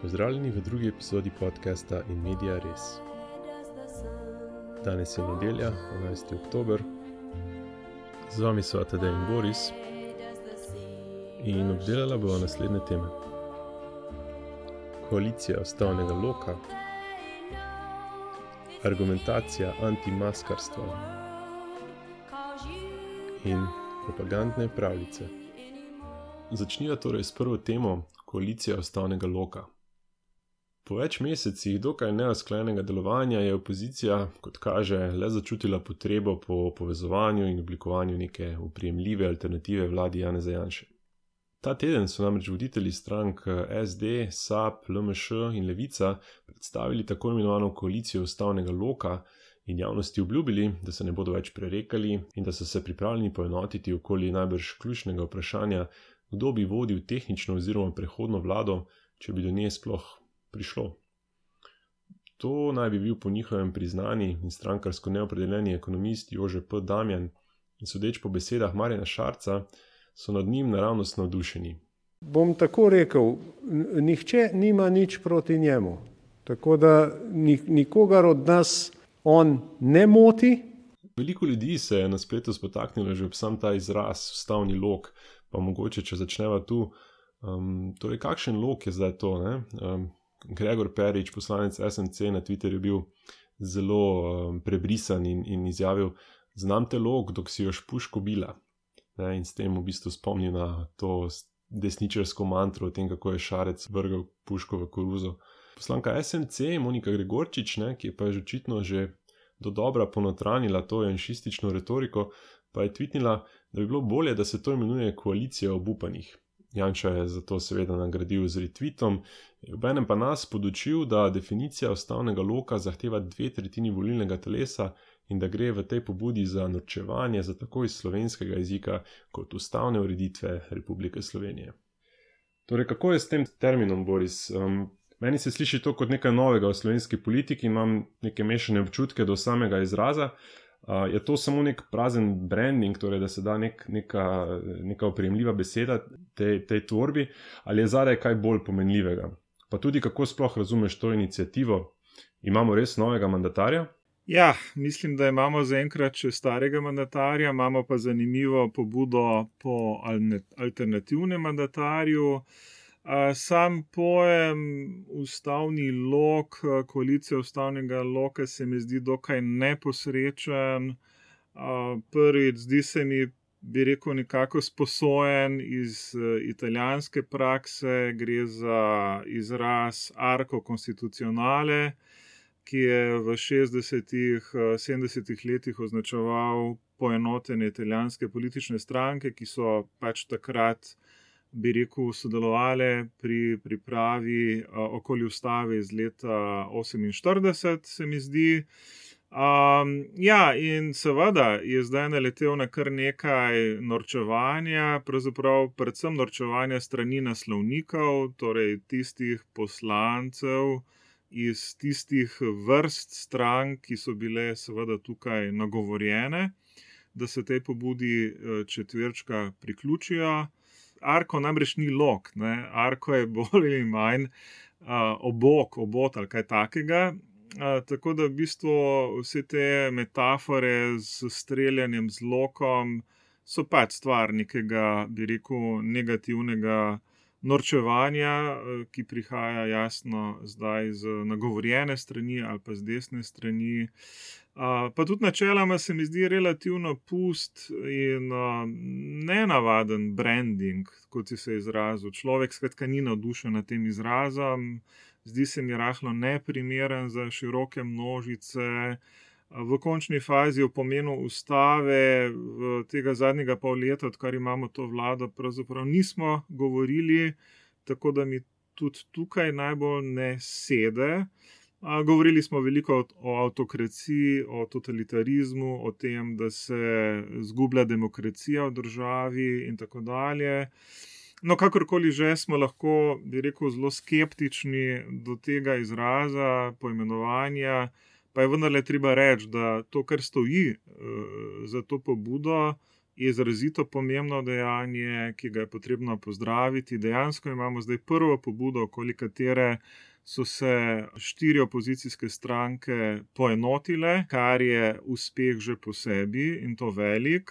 Pozdravljeni v drugi epizodi podcasta In Media Res. Danes je nedelja, 12. oktober. Z vami so Tadej in Boris in obdelala bova naslednje teme. Koalicija ustavnega loka, argumentacija antimaskarstva in propagandne pravljice. Začniva torej s prvo temo, koalicija ustavnega loka. Po več mesecih dokaj neusklajenega delovanja je opozicija, kot kaže, le začutila potrebo po povezovanju in oblikovanju neke oprijemljive alternative vladi Janeza Janše. Ta teden so namreč voditelji strank SD, SAB, LMŠ in Levica predstavili tako imenovano koalicijo ustavnega loka in javnosti obljubili, da se ne bodo več prerekali in da so se pripravljeni poenotiti okoli najbrž ključnega vprašanja, kdo bi vodil tehnično oziroma prehodno vlado, če bi do nje sploh prišlo. To naj bi bil po njihovem priznani in strankarsko neopredeljeni ekonomist Jože P. Damjan in sodeč po besedah Marjana Šarca so nad njim naravnost navdušeni. Bom tako rekel, nihče nima nič proti njemu, tako da nikogar od nas on ne moti. Veliko ljudi se je na spletu spotaknilo že ob sam ta izraz ustavni lok, pa mogoče, če začneva tu, torej kakšen lok je zdaj to, ne? Gregor Perič, poslanec SMC, na Twitterju bil zelo prebrisan in izjavil: "Znam te lok, dok si još puško bila." In s tem v bistvu spomnil na to desničarsko mantro o tem, kako je Šarec vrgel puško v koruzo. Poslanka SMC, Monika Gregorčič, ki je pa očitno že dodobra ponotranila to janšistično retoriko, pa je tvitnila, da bi bilo bolje, da se to imenuje koalicija obupanih. Janša je zato seveda nagradil z retweetom, obenem pa nas podučil, da definicija ustavnega loka zahteva 2/3 volilnega telesa in da gre v tej pobudi za norčevanje za tako iz slovenskega jezika kot ustavne ureditve Republike Slovenije. Torej, kako je s tem terminom, Boris? Meni se sliši to kot nekaj novega v slovenski politiki in imam neke mešane občutke do samega izraza. Je to samo nek prazen branding, torej da se da neka oprijemljiva beseda tej tvorbi, ali je zadaj kaj bolj pomenljivega? Pa tudi kako sploh razumeš to inicijativo? Imamo res novega mandatarja? Ja, mislim, da imamo zaenkrat še starega mandatarja, imamo pa zanimivo pobudo po alternativnem mandatarju. Sam pojem ustavni lok, koalicija ustavnega loka se mi zdi dokaj neposrečen. Prvič, zdi se mi, bi rekel, nekako sposojen iz italijanske prakse, gre za izraz arco constituzionale, ki je v 60-ih, 70-ih letih označeval poenotenje italijanske politične stranke, ki so pač takrat, bi rekel, sodelovali pri pripravi okoli ustave iz leta 48, se mi zdi. In seveda je zdaj naletel na kar nekaj norčevanja, pravzaprav predvsem norčevanja strani naslovnikov, torej tistih poslancev iz tistih vrst strank, ki so bile seveda tukaj nagovorjene, da se tej pobudi četverčka priključijo. Arko namreč ni lok, Arko je bolj ali manj obot ali kaj takega. Tako da v bistvu vse te metafore z streljanjem z lokom so pač stvar nekega, bi rekel, negativnega norčevanja, ki prihaja jasno zdaj z nagovorjene strani ali pa z desne strani. Pa tudi načeloma se mi zdi relativno pust in nenavaden branding, kot si se izrazil. Človek skratka ni navdušen nad tem izrazom, zdi se mi rahlo neprimeren za široke množice. V končni fazi o pomenu ustave v tega zadnjega pol leta, odkar imamo to vlado, pravzaprav nismo govorili, tako da mi tudi tukaj najbolj ne sede. Govorili smo veliko o avtokraciji, o totalitarizmu, o tem, da se zgublja demokracija v državi in tako dalje. No, kakorkoli že, smo lahko, bi rekel, zelo skeptični do tega izraza, poimenovanja, pa je vendarle treba reči, da to, kar stoji za to pobudo, je izrazito pomembno dejanje, ki ga je potrebno pozdraviti. Dejansko imamo zdaj prvo pobudo, okoli katere so se 4 opozicijske stranke poenotile, kar je uspeh že po sebi in to velik.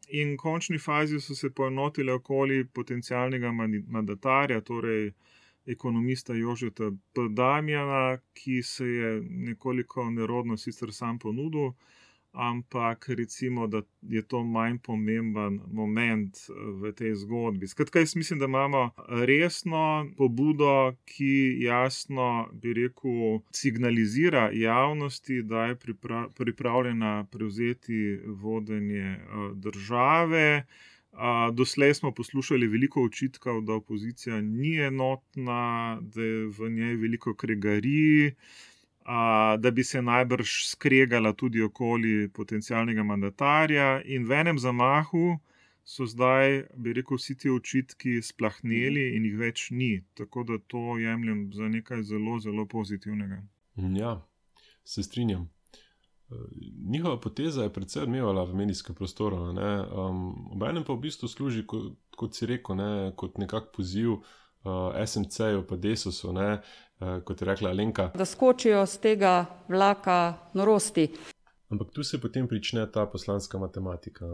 In v končni fazi so se poenotile okoli potencialnega mandatarja, torej ekonomista Jožeta P. Damjana, ki se je nekoliko nerodno sicer sam ponudil, ampak recimo, da je to manj pomemben moment v tej zgodbi. Skratka, jaz mislim, da imamo resno pobudo, ki jasno, bi rekel, signalizira javnosti, da je pripravljena prevzeti vodenje države. Doslej smo poslušali veliko očitkov, da opozicija ni enotna, da je v njej veliko kregarij, da bi se najbrž skregala tudi okoli potencialnega mandatarja, in v enem zamahu so zdaj, bi rekel, vsi ti očitki splahneli in jih več ni. Tako da to jemljem za nekaj zelo, zelo pozitivnega. Ja, se strinjam. Njihova poteza je precej odmevala v medijskem prostoru. Obenem pa v bistvu služi, kot si rekel, kot nekak poziv SMC-ju pa Desusu, kot je rekla Alenka. Da skočijo z tega vlaka norosti. Ampak tu se potem prične ta poslanska matematika.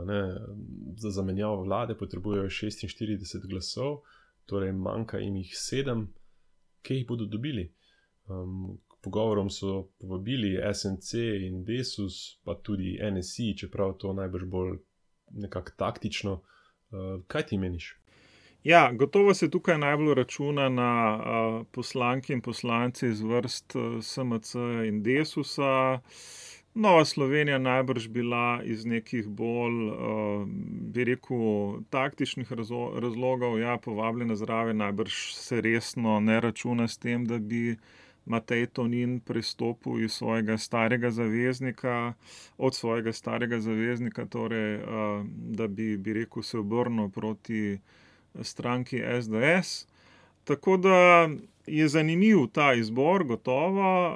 Za zamenjavo vlade potrebujejo 46 glasov, torej manjka jim jih 7. Kje jih bodo dobili? K pogovorom so povabili SMC in Desus, pa tudi NSI, čeprav to najbrž bolj nekako taktično. Kaj ti meniš? Ja, gotovo se tukaj najbolj računa na poslanke in poslance iz vrst SMC in Desusa. Nova Slovenija najbrž bila iz nekih bolj, bi rekel, taktičnih razlogov, povabljena zraven, najbrž se resno ne računa s tem, da bi Matej Tonin prestopil iz svojega starega zaveznika, torej, da bi rekel, se obrnil proti stranki SDS. Tako da je zanimiv ta izbor, gotovo.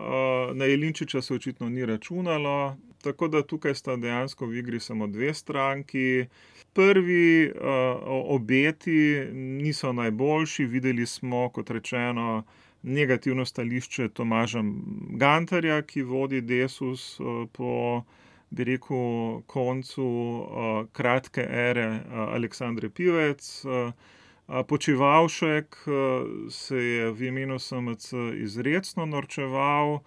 Na Jelinčiča se očitno ni računalo, tako da tukaj sta dejansko v igri samo 2 stranki. Prvi obeti niso najboljši. Videli smo, kot rečeno, negativno stališče Tomaža Gantarja, ki vodi Desus po, bi rekel, koncu kratke ere Aleksandre Pivec. Počivalšek se je v imenu SMC izrecno norčeval,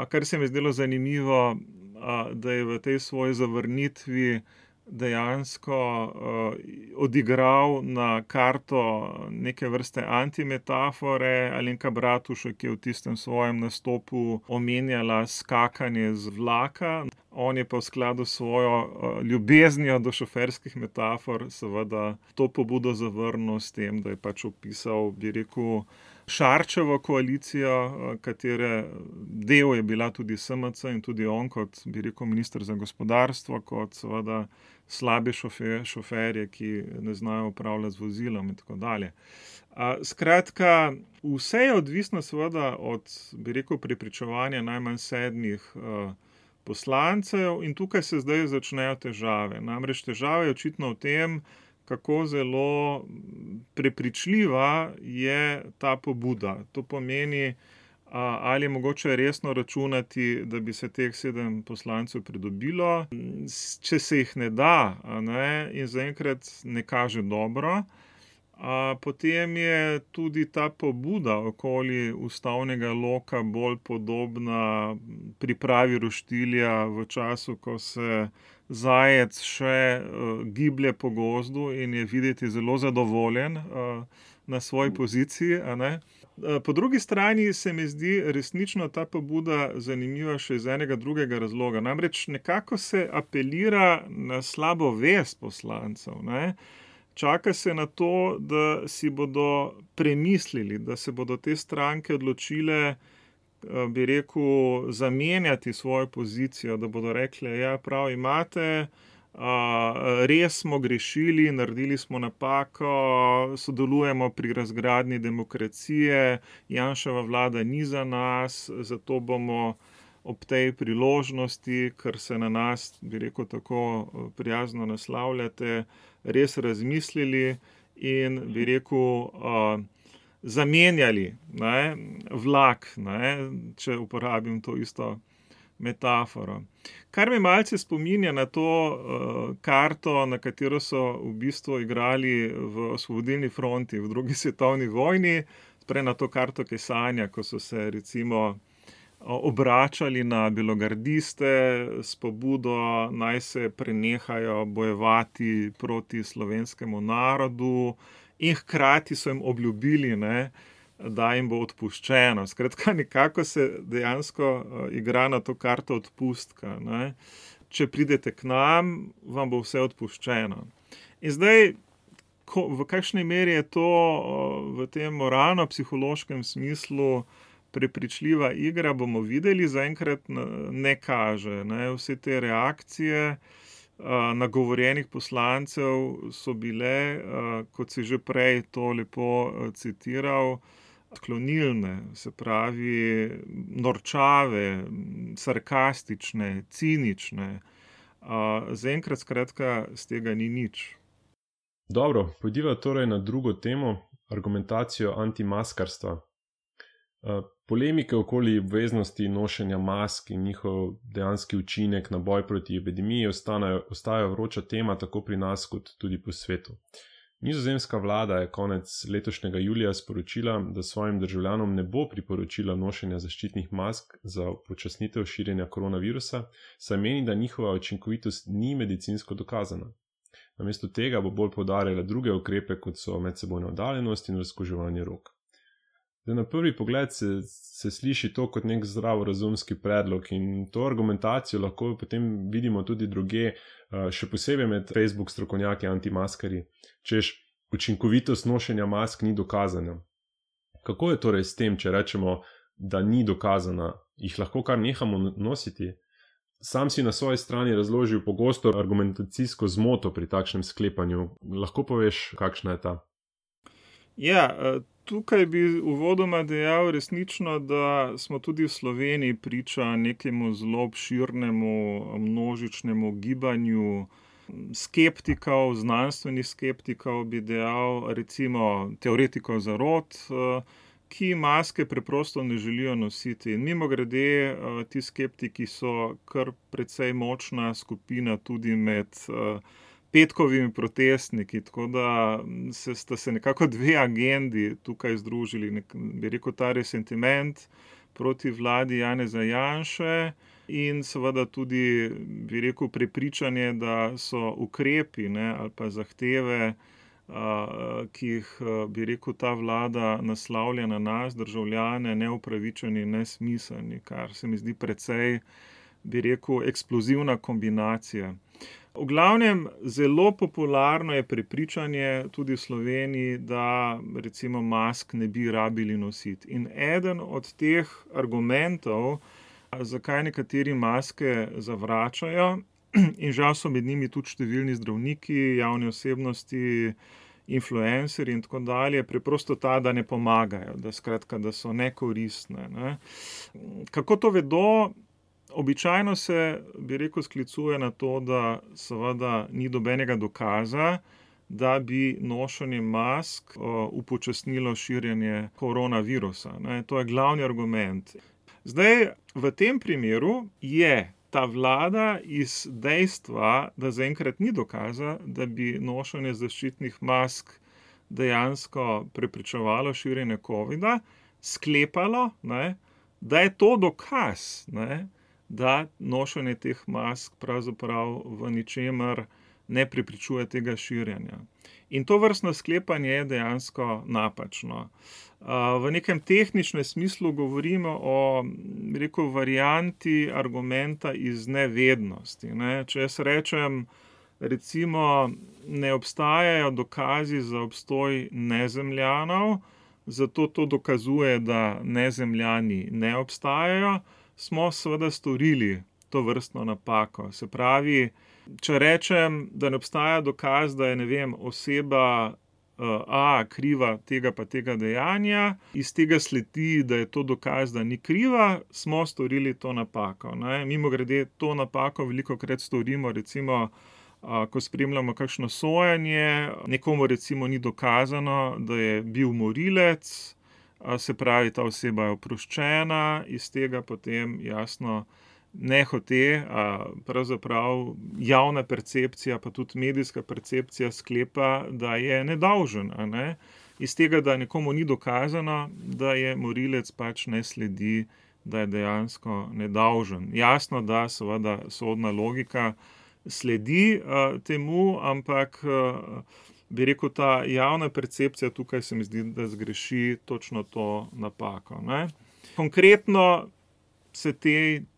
kar se mi je zdelo zanimivo, da je v tej svoji zavrnitvi dejansko odigral na karto neke vrste antimetafore. Alenka Bratušek je v tistem svojem nastopu omenjala skakanje z vlaka. On je pa v skladu s svojo ljubeznijo do šoferskih metafor seveda to pobudo zavrnil s tem, da je pač opisal, bi rekel, Šarčevo koalicijo, katere del je bila tudi SMC in tudi on kot, bi rekel, minister za gospodarstvo, kot seveda slabe šoferje, ki ne znajo upravljati z vozilom in tako dalje. Skratka, vse je odvisno seveda od, bi rekel, prepričevanja najmanj 7 poslancev, in tukaj se zdaj začnejo težave. Namreč težava je očitno v tem, kako zelo prepričljiva je ta pobuda. To pomeni, ali je mogoče resno računati, da bi se teh 7 poslancev pridobilo. Če se jih ne da, in zaenkrat ne kaže dobro, potem je tudi ta pobuda okoli ustavnega loka bolj podobna pripravi roštilja v času, ko se zajec še giblje po gozdu in je videti zelo zadovoljen na svoji poziciji. Po drugi strani se mi zdi resnično ta pobuda zanimiva še iz enega drugega razloga. Namreč nekako se apelira na slabo vest poslancev. Čaka se na to, da si bodo premislili, da se bodo te stranke odločile, bi rekel, zamenjati svojo pozicijo, da bodo rekli, ja, prav imate, res smo grešili, naredili smo napako, sodelujemo pri razgradnji demokracije, Janševa vlada ni za nas, zato bomo ob tej priložnosti, ker se na nas, bi rekel, tako prijazno naslavljate, res razmislili in, bi rekel, zamenjali, ne, vlak, ne, če uporabim to isto metaforo. Kar me malce spominja na to karto, na katero so v bistvu igrali v Osvobodilni fronti v drugi svetovni vojni, prej na to karto Kesanja, ko so se recimo obračali na belogardiste s pobudo, naj se prenehajo bojevati proti slovenskemu narodu in hkrati so jim obljubili, ne, da jim bo odpuščeno. Skratka, nekako se dejansko igra na to karto odpustka, ne. Če pridete k nam, vam bo vse odpuščeno. In zdaj, v kakšni meri je to v tem moralno-psihološkem smislu prepričljiva igra, bomo videli, zaenkrat ne kaže, ne. Vse te reakcije nagovorjenih poslancev so bile, kot si že prej to lepo citiral, odklonilne, se pravi norčave, sarkastične, cinične. Zaenkrat skratka z tega ni nič. Dobro, pojdiva torej na drugo temo, argumentacijo antimaskarstva. Polemike okoli obveznosti nošenja mask in njihov dejanski učinek na boj proti epidemiji ostajajo vroča tema tako pri nas kot tudi po svetu. Nizozemska vlada je konec letošnjega julija sporočila, da svojim državljanom ne bo priporočila nošenja zaščitnih mask za upočasnitev širjenja koronavirusa, saj meni, da njihova učinkovitost ni medicinsko dokazana. Namesto tega bo bolj poudarjala druge ukrepe, kot so medsebojna oddaljenost in razkuževanje rok. Zdaj, na prvi pogled se sliši to kot nek zdravorazumski predlog in to argumentacijo lahko potem vidimo tudi drugje, še posebej med Facebook strokovnjaki antimaskarji, češ učinkovitost nošenja mask ni dokazana. Kako je torej s tem, če rečemo, da ni dokazana, jih lahko kar nehamo nositi? Sam si na svoji strani razložil pogosto argumentacijsko zmoto pri takšnem sklepanju. Lahko poveš, kakšna je ta? Ja, tukaj bi uvodoma dejal resnično, da smo tudi v Sloveniji priča nekemu zelo obširnemu množičnemu gibanju skeptikov, znanstvenih skeptikov, bi dejal, recimo teoretikov zarot, ki maske preprosto ne želijo nositi. In mimogrede, ti skeptiki so kar precej močna skupina tudi med petkovimi protestniki, tako da sta se nekako dve agendi tukaj združili, bi rekel, ta resentiment proti vladi Janeza Janše in seveda tudi, bi rekel, prepričanje, da so ukrepi, ne, ali pa zahteve, ki jih, bi rekel, ta vlada naslavlja na nas, državljane, neupravičeni, nesmiselni, kar se mi zdi precej, bi rekel, eksplozivna kombinacija. V glavnem, zelo popularno je prepričanje tudi v Sloveniji, da recimo mask ne bi rabili nositi. In eden od teh argumentov, zakaj nekateri maske zavračajo, in žal so med njimi tudi številni zdravniki, javne osebnosti, influencerji in tako dalje, preprosto ta, da ne pomagajo, da skratka, da so nekoristne, ne. Kako to vedo? Običajno se, bi rekel, sklicuje na to, da seveda ni nobenega dokaza, da bi nošenje mask upočasnilo širjenje koronavirusa, ne. To je glavni argument. Zdaj, v tem primeru je ta vlada iz dejstva, da zaenkrat ni dokaza, da bi nošenje zaščitnih mask dejansko preprečevalo širjenje covida, sklepalo, ne, da je to dokaz, ne, da nošenje teh mask pravzaprav v ničemer ne preprečuje tega širjenja. In to vrstno sklepanje je dejansko napačno. V nekem tehničnem smislu govorimo o, bi rekel, varianti argumenta iz nevednosti, ne. Če jaz rečem, recimo, ne obstajajo dokazi za obstoj nezemljanov, zato to dokazuje, da nezemljani ne obstajajo, smo seveda storili to vrstno napako. Se pravi, če rečem, da ne obstaja dokaz, da je, ne vem, oseba A kriva tega pa tega dejanja, iz tega sledi, da je to dokaz, da ni kriva, smo storili to napako. Mimogrede, to napako velikokrat storimo, recimo, ko spremljamo kakšno sojenje, nekomu recimo ni dokazano, da je bil morilec, se pravi, ta oseba je oproščena, iz tega potem jasno nehote, pravzaprav javna percepcija, pa tudi medijska percepcija sklepa, da je nedolžen, Iz tega, da nekomu ni dokazano, da je morilec, pač ne sledi, da je dejansko nedolžen. Jasno, da seveda sodna logika sledi temu, ampak bi rekel, ta javna percepcija tukaj se mi zdi, da zgreši točno to napako. Konkretno se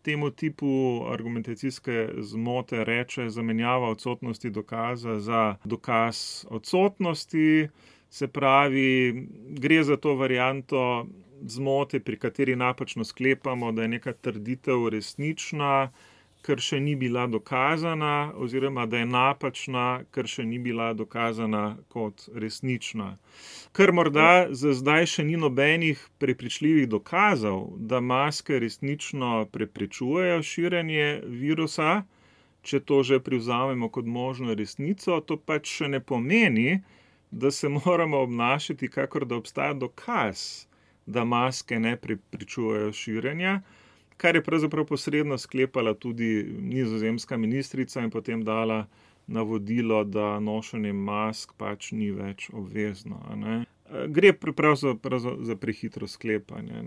temu tipu argumentacijske zmote reče zamenjava odsotnosti dokaza za dokaz odsotnosti, se pravi, gre za to varianto zmote, pri kateri napačno sklepamo, da je neka trditev resnična, ker še ni bila dokazana, oziroma da je napačna, ker še ni bila dokazana kot resnična. Ker morda za zdaj še ni nobenih prepričljivih dokazov, da maske resnično preprečujejo širjenje virusa, če to že privzamemo kot možno resnico, to pač še ne pomeni, da se moramo obnašati, kakor da obstaja dokaz, da maske ne preprečujejo širjenja, kar je pravzaprav posredno sklepala tudi nizozemska ministrica in potem dala navodilo, da nošenje mask pač ni več obvezno. Gre pravzaprav za prehitro sklepanje.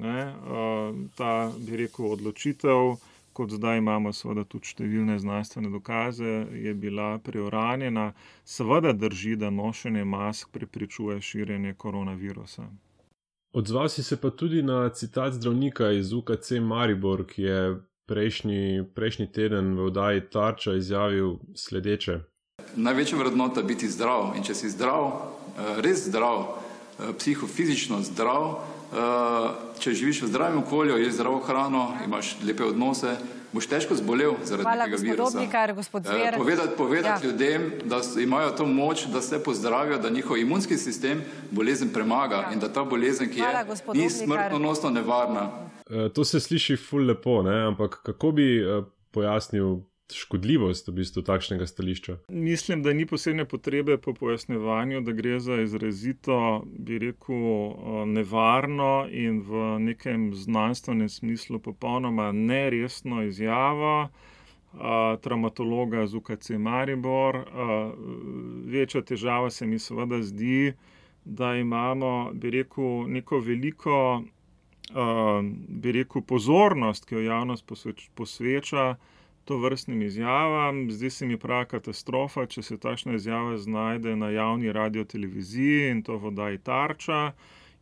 Ta, bi rekel, odločitev, kot zdaj imamo seveda tudi številne znanstvene dokaze, je bila preuranjena. Seveda drži, da nošenje mask preprečuje širjenje koronavirusa. Odzval si se pa tudi na citat zdravnika iz UKC Maribor, ki je prejšnji teden v oddaji Tarča izjavil sledeče. Največja vrednota je biti zdrav, in če si zdrav, res zdrav, psihofizično zdrav, če živiš v zdravem okolju, ješ zdravo hrano, imaš lepe odnose, boš težko zbolel zaradi tega virusa. Hvala, gospod Dobnikar, gospod Zver. Povedati ljudem, da imajo to moč, da se pozdravijo, da njihov imunski sistem bolezen premaga in da ta bolezen, ki je, ni smrtonosno nevarna. To se sliši ful lepo, ampak kako bi pojasnil škodljivost v bistvu takšnega stališča? Mislim, da ni posebne potrebe po pojasnjevanju, da gre za izrazito, bi rekel, nevarno in v nekem znanstvenem smislu popolnoma neresno izjavo travmatologa z UKC Maribor. Večja težava se mi seveda zdi, da imamo, bi rekel, neko veliko, bi rekel, pozornost, ki jo javnost posveča to vrstnim izjavam. Zdi se mi prava katastrofa, če se takšna izjava znajde na javni radioteleviziji in to v oddaji Tarča,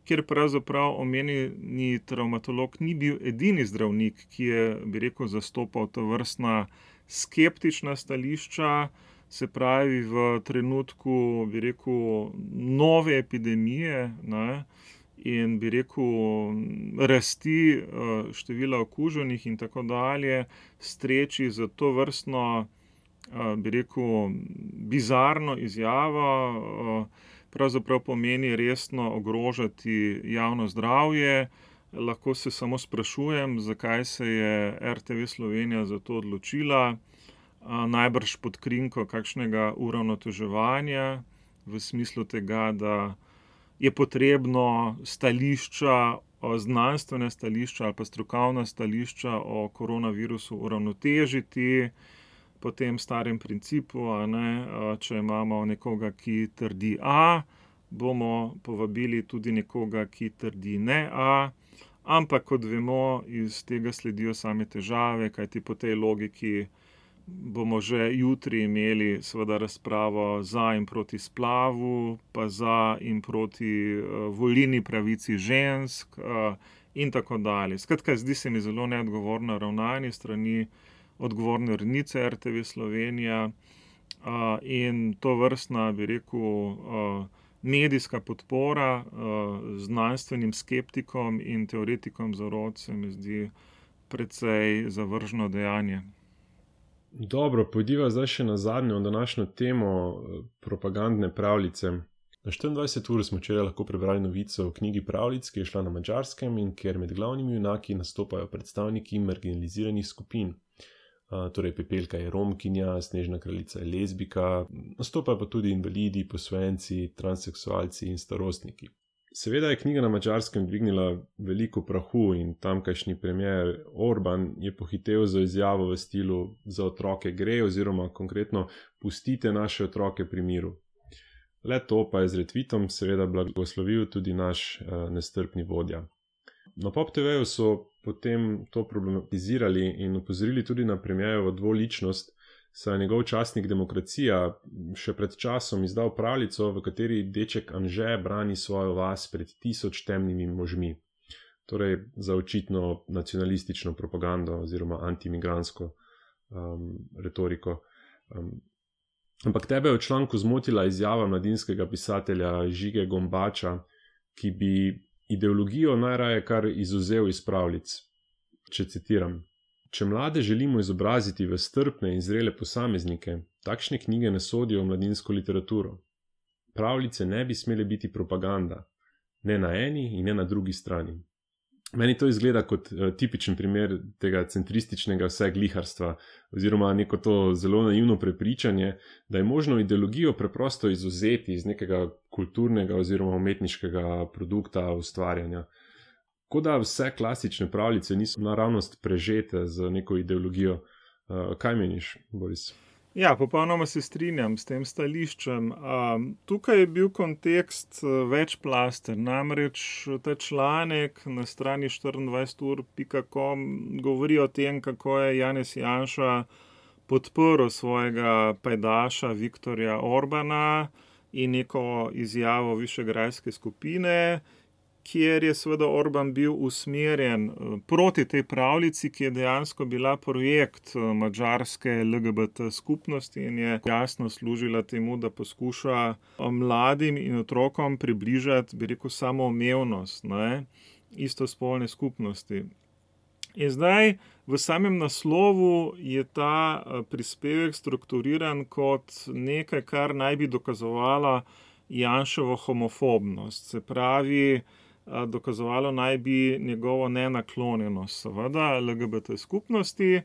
kjer pravzaprav omenjeni travmatolog ni bil edini zdravnik, ki je, bi rekel, zastopal to vrstna skeptična stališča, se pravi v trenutku, bi rekel, nove epidemije, in bi rekel rasti števila okuženih in tako dalje, streči za to vrstno, bi rekel, bizarno izjavo, pravzaprav pomeni resno ogrožati javno zdravje. Lahko se samo sprašujem, zakaj se je RTV Slovenija za to odločila, najbrž pod krinko kakšnega uravnoteževanja, v smislu tega, da je potrebno stališča, znanstvene stališča ali pa strokovna stališča o koronavirusu uravnotežiti po tem starem principu, če imamo nekoga, ki trdi A, bomo povabili tudi nekoga, ki trdi ne A, ampak kot vemo, iz tega sledijo same težave, kajti po tej logiki bomo že jutri imeli seveda razpravo za in proti splavu, pa za in proti volilni pravici žensk in tako dalje. Skratka, zdi se mi zelo neodgovorno ravnanje strani odgovorne urednice RTV Slovenija in to vrstna, bi rekel, medijska podpora znanstvenim skeptikom in teoretikom zarot se mi zdi precej zavržno dejanje. Dobro, pojdiva zdaj še na zadnjo današnjo temo, propagandne pravljice. Na 24 ur smo včeraj lahko prebrali novico o knjigi pravljic, ki je šla na Madžarskem in kjer med glavnimi junaki nastopajo predstavniki marginaliziranih skupin. Torej Pepelka je Romkinja, Snežna kraljica je lezbika, nastopajo pa tudi invalidi, posvojenci, transseksualci in starostniki. Seveda je knjiga na Madžarskem dvignila veliko prahu in tamkajšnji premier Orban je pohitel za izjavo v stilu za otroke gre oziroma konkretno pustite naše otroke pri miru. Le to pa je z retweetom seveda blagoslovil tudi naš nestrpni vodja. Na Pop TV-ju so potem to problematizirali in opozorili tudi na premierjevo dvoličnost, saj je njegov časnik Demokracija še pred časom izdal pravljico, v kateri deček Anže brani svojo vas pred 1000 temnimi možmi. Torej za očitno nacionalistično propagando oziroma antimigransko retoriko. Ampak tebe je v članku zmotila izjava mladinskega pisatelja Žige Gombača, ki bi ideologijo najraje kar izvzel iz pravljic. Če citiram: Če mlade želimo izobraziti v strpne in zrele posameznike, takšne knjige ne sodijo v mladinsko literaturo. Pravljice ne bi smele biti propaganda, ne na eni in ne na drugi strani. Meni to izgleda kot tipičen primer tega centrističnega vsegliharstva oziroma neko to zelo naivno prepričanje, da je možno ideologijo preprosto izvzeti iz nekega kulturnega oziroma umetniškega produkta ustvarjanja. Kot da vse klasične pravljice niso naravnost prežete z neko ideologijo. Kaj meniš, Boris? Ja, popolnoma se strinjam s tem stališčem. Tukaj je bil kontekst večplasten, namreč ta članek na strani 24ur.com govori o tem, kako je Janez Janša podprl svojega pajdaša Viktorja Orbana in neko izjavo Višegrajske skupine, kjer je seveda Orban bil usmerjen proti tej pravljici, ki je dejansko bila projekt madžarske LGBT skupnosti in je jasno služila temu, da poskuša mladim in otrokom približati, bi rekel, samoumevnost, istospolne skupnosti. In zdaj v samem naslovu je ta prispevek strukturiran kot nekaj, kar naj bi dokazovalo Janševo homofobnost, se pravi, dokazovalo naj bi njegovo nenaklonjenost, seveda, LGBT skupnosti.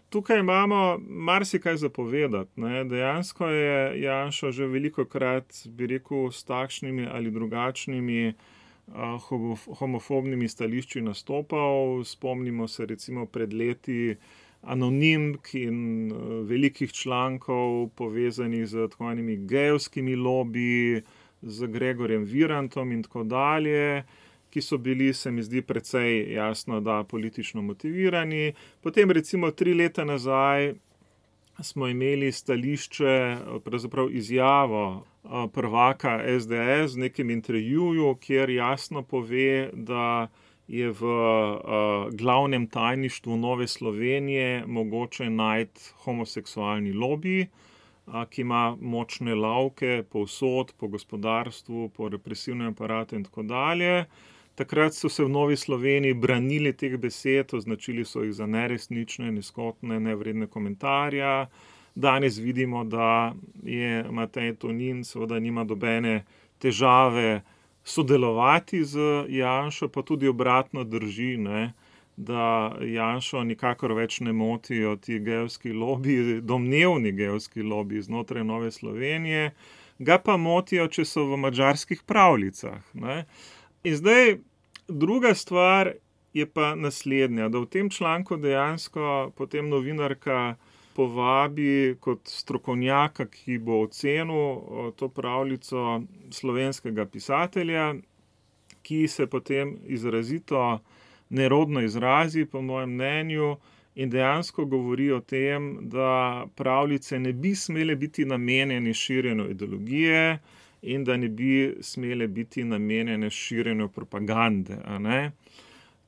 Tukaj imamo marsikaj za povedati, Dejansko je Janša že velikokrat, bi rekel, s takšnimi ali drugačnimi homofobnimi stališči nastopal. Spomnimo se recimo pred leti anonimk in velikih člankov povezanih z tako imenimi gejevskimi lobiji, z Gregorjem Virantom in tako dalje, ki so bili, se mi zdi, precej jasno, da politično motivirani. Potem recimo 3 leta nazaj smo imeli stališče, pravzaprav izjavo prvaka SDS v nekem intervjuju, kjer jasno pove, da je v glavnem tajništvu Nove Slovenije mogoče najti homoseksualni lobij, ki ima močne lavke povsod, po gospodarstvu, po represivnem aparatu in tako dalje. Takrat so se v Novi Sloveniji branili teh besed, označili so jih za neresnične, nizkotne, nevredne komentarja. Danes vidimo, da je Matej Tonin, seveda nima nobene težave sodelovati z Janšo, pa tudi obratno drži, da Janšo nikakor več ne motijo ti gejevski lobiji, domnevni gejevski lobiji znotraj Nove Slovenije, ga pa motijo, če so v madžarskih pravljicah. In zdaj druga stvar je pa naslednja, da v tem članku dejansko potem novinarka povabi kot strokovnjaka, ki bo ocenil to pravljico, slovenskega pisatelja, ki se potem izrazito nerodno izrazi, po mojem mnenju, in dejansko govori o tem, da pravljice ne bi smele biti namenjene širjenju ideologije in da ne bi smele biti namenjene širjenju propagande.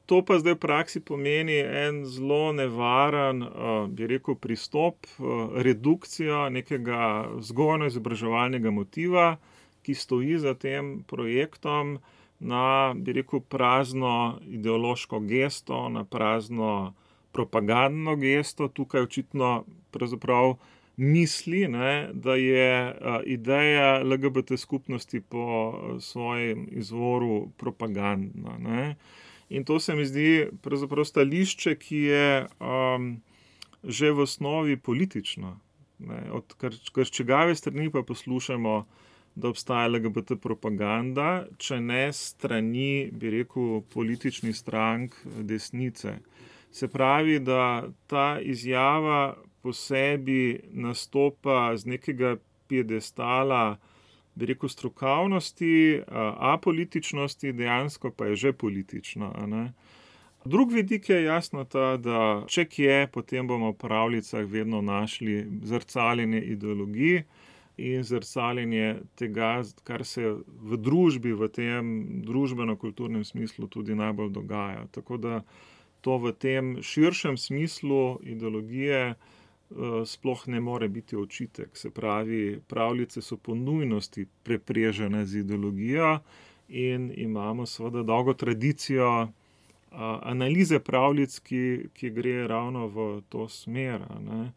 To pa zdaj v praksi pomeni en zelo nevaren, bi rekel, pristop, redukcijo nekega vzgojno-izobraževalnega motiva, ki stoji za tem projektom, na, bi rekel, prazno ideološko gesto, na prazno propagandno gesto. Tukaj očitno pravzaprav misli, ne, da je ideja LGBT skupnosti po svojem izvoru propagandna. Ne. In to se mi zdi pravzaprav stališče, ki je že v osnovi politično. Ne. Od krčegave strani pa poslušamo, da obstaja LGBT propaganda, če ne strani, bi rekel, političnih strank desnice. Se pravi, da ta izjava po sebi nastopa z nekega piedestala, bi rekel, strokovnosti, apolitičnosti, dejansko pa je že politična. Ne? Drug vidik je jasno ta, da če kje, potem bomo v pravljicah vedno našli zrcaljenje ideologij in zrcaljenje tega, kar se v družbi, v tem družbeno-kulturnem smislu tudi najbolj dogaja. Tako da to v tem širšem smislu ideologije sploh ne more biti očitek. Se pravi, pravljice so po nujnosti preprežene z ideologijo in imamo seveda dolgo tradicijo analize pravljic, ki gre ravno v to smer. Ne.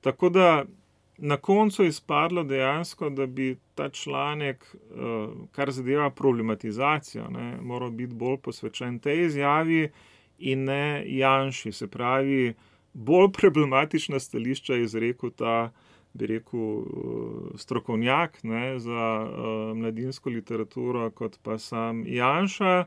Tako da na koncu je izpadlo dejansko, da bi ta članek, kar zadeva problematizacijo, ne, moral biti bolj posvečen tej izjavi in ne Janši. Se pravi, bolj problematična stališča je izrekel ta, bi rekel, strokovnjak, ne, za mladinsko literaturo, kot pa sam Janša.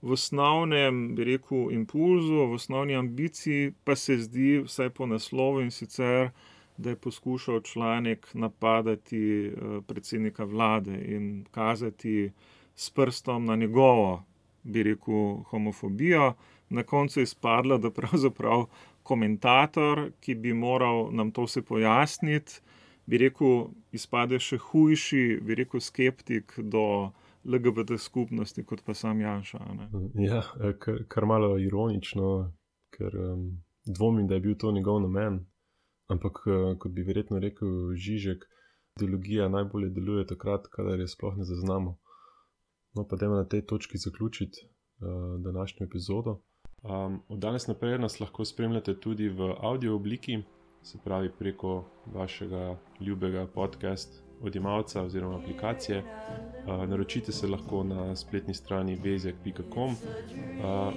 V osnovnem, bi rekel, impulzu, v osnovni ambiciji pa se zdi, vsaj po naslovu in sicer, da je poskušal članek napadati predsednika vlade in kazati s prstom na njegovo, bi rekel, homofobijo. Na koncu je izpadlo, da pravzaprav komentator, ki bi moral nam to vse pojasniti, bi rekel, izpade še hujši, bi rekel, skeptik do LGBT skupnosti, kot pa sam Janša. Ne? Ja, kar malo ironično, ker dvomim, da je bil to njegov namen. Ampak, kot bi verjetno rekel Žižek, ideologija najbolje deluje takrat, kadar je sploh ne zaznamo. No, pa dajmo na tej točki zaključiti današnjo epizodo. Od danes naprej nas lahko spremljate tudi v audio obliki, se pravi preko vašega ljubega podcast odjemalca oziroma aplikacije. Naročite se lahko na spletni strani bezjak.com.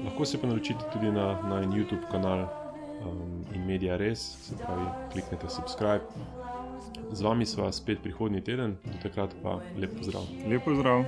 Lahko se pa naročite tudi na YouTube kanal in Media Res, se pravi kliknete subscribe. Z vami sva spet prihodnji teden, do takrat pa lep pozdrav. Lep pozdrav.